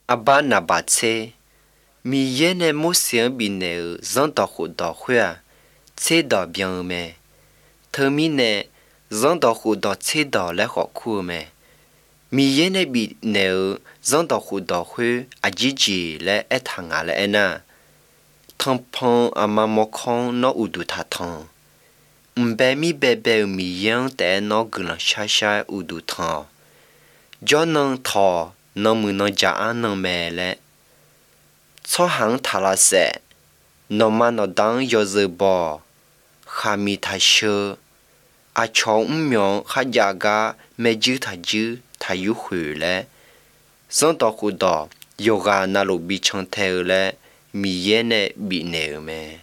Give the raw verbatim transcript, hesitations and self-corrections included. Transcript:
阿爸那把车，米耶呢木星比呢人到户到会啊，车到边咩？头米呢人到户到车到来好苦咩？米耶呢比呢人到户到会阿姐姐来爱他阿来呢，汤胖阿妈莫康那乌度他汤，唔白米白白米样但那个人下下乌度汤，叫能讨。能不能加安能买嘞？草行塔拉塞，侬嘛侬当要是包，哈密他修，阿乔五秒哈家个没酒他酒他又回来，上到湖到，有个那路比长头嘞，米烟呢比牛咩？